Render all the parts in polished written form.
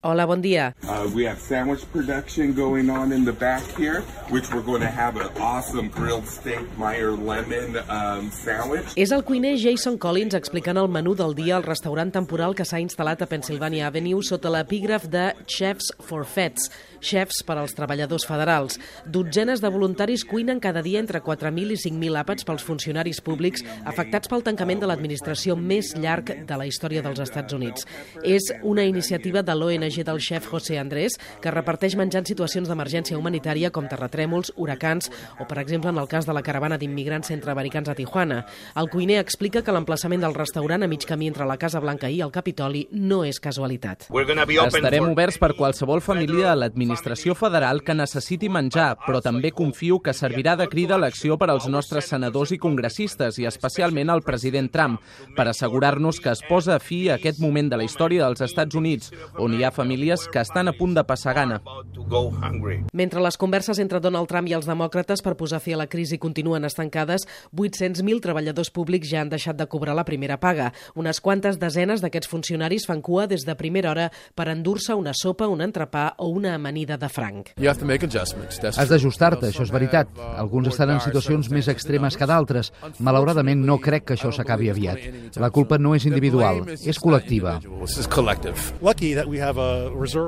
Hola, bon dia. We have sandwich production going on in the back here, which we're going to have an awesome grilled steak Meyer lemon sandwich. És el cuiner Jason Collins explicant el menú del dia al restaurant temporal que s'ha instal·lat a Pennsylvania Avenue sota l'epígraf de Chefs for Feds, xefs per als treballadors federals. Dotzenes de voluntaris cuinen cada dia entre 4.000 i 5.000 àpats pels funcionaris públics afectats pel tancament de l'administració més llarg de la història dels Estats Units. És una iniciativa de l'ONG del xef José Andrés, que reparteix menjar en situacions d'emergència humanitària com terratrèmols, huracans o, per exemple, en el cas de la caravana d'immigrants centreamericans a Tijuana. El cuiner explica que l'emplaçament del restaurant a mig camí entre la Casa Blanca i el Capitoli no és casualitat. Estarem oberts per qualsevol família a l'administració federal que necessiti menjar, però també confio que servirà de crida a l'acció per als nostres senadors i congressistes, i especialment al president Trump, per assegurar-nos que es posa fi a aquest moment de la història dels Estats Units, on hi ha famílies que estan a punt de passar gana. Mentre les converses entre Donald Trump i els demòcrates per posar fi a la crisi continuen estancades, 800.000 treballadors públics ja han deixat de cobrar la primera paga. Unes quantes desenes d'aquests funcionaris fan cua des de primera hora per endur-se una sopa, un entrepà o una amanida de franc. Has d'ajustar-te, això és veritat. Alguns estan en situacions més extremes que d'altres. Malauradament no crec que això s'acabi aviat. La culpa no és individual, és col·lectiva.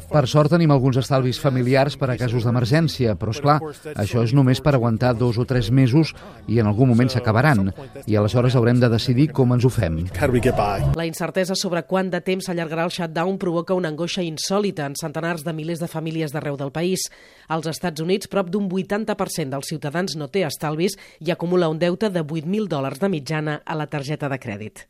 Per sort tenim alguns estalvis familiars per a casos d'emergència, però és clar, això és només per aguantar 2 o 3 mesos i en algun moment s'acabaran, i aleshores haurem de decidir com ens ho fem. La incertesa sobre quant de temps s'allargarà el shutdown provoca una angoixa insòlita en centenars de milers de famílies d'arreu del país. Als Estats Units, prop d'un 80% dels ciutadans no té estalvis i acumula un deute de $8.000 de mitjana a la targeta de crèdit.